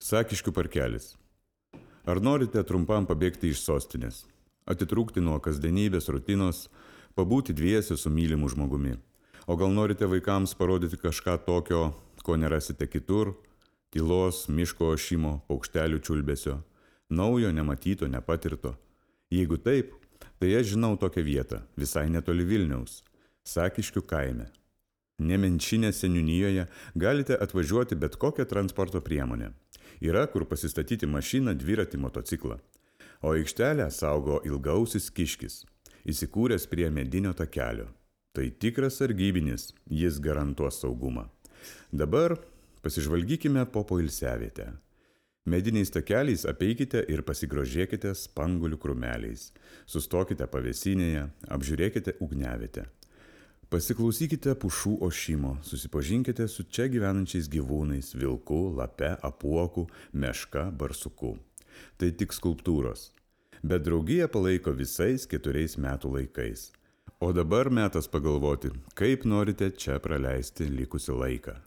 Sakiškių parkelis. Ar norite trumpam pabėgti iš sostinės, atitrūkti nuo kasdienybės rutinos, pabūti dviese su mylimu žmogumi? O gal norite vaikams parodyti kažką tokio, ko nerasite kitur? Tylos, miško ošimo, paukštelių čiulbesio, naujo, nematyto, nepatirto. Jeigu taip, tai aš žinau tokią vietą, visai netoli Vilniaus, Sakiškių kaime. Nemenčinės seniūnijoje galite atvažiuoti bet kokią transporto priemonę. Yra kur pasistatyti mašiną, dviratį, motociklą. O aikštelę saugo ilgausis kiškis, įsikūręs prie medinio takelio. Tai tikras sargybinis, jis garantuos saugumą. Dabar pasižvalgykime po poilsiavietę. Mediniais takeliais apeikite ir pasigrožėkite spanguolių krūmeliais. Sustokite pavėsinėje, apžiūrėkite ugniavietę. Pasiklausykite pušų ošimo, susipažinkite su čia gyvenančiais gyvūnais – vilku, lape, apuoku, meška, barsuku. Tai tik skulptūros. Bet draugija palaiko visais 4 metų laikais. O dabar metas pagalvoti, kaip norite čia praleisti likusį laiką.